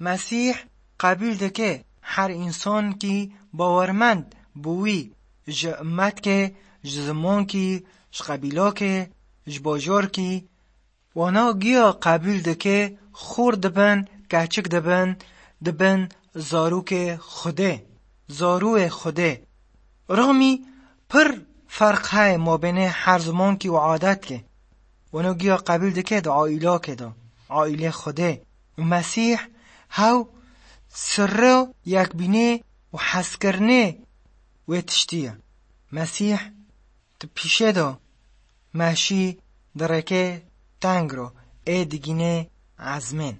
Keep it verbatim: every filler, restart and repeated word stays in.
Mesîh qebûl dike her însankî bawermend bi wî, ji ummetkê, ji zimonkî, ji qebîlokê, ji bajorkî. Wana giya qebûl dike, xor dibin, keçik dibin, dibin zarokê Xwedê, zarûyê Xwedê. Rixmî pir ferq heye mabênê her zimonkî û adetkê. Wana giya qebûl dike di aîlokê de, aîlê Xwedê. Û Mesîh hew sirra yekbînê û hezkirinê wê tiştî ye. Mesîh di pîşê de meşî di rêkê teng ro ê digînê ezmên.